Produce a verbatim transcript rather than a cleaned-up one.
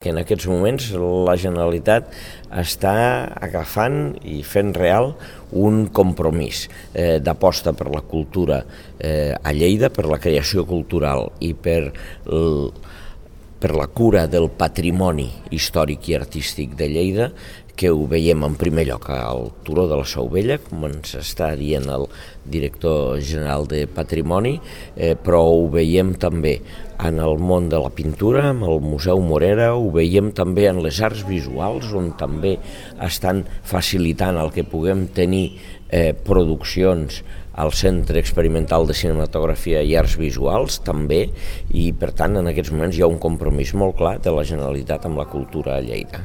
Que en aquests moments la Generalitat està agafant i fent real un compromís eh, d'aposta per la cultura eh, a Lleida, per la creació cultural i per, l, per la cura del patrimoni històric i artístic de Lleida, que ho veiem en primer lloc al Turó de la Seu Vella, com ens està dient el director general de Patrimoni, eh, però ho veiem també en el món de la pintura, amb el Museu Morera, ho veiem també en les arts visuals, on també estan facilitant el que puguem tenir eh, produccions al Centre Experimental de Cinematografia i Arts Visuals també, i per tant en aquests moments hi ha un compromís molt clar de la Generalitat amb la cultura a Lleida.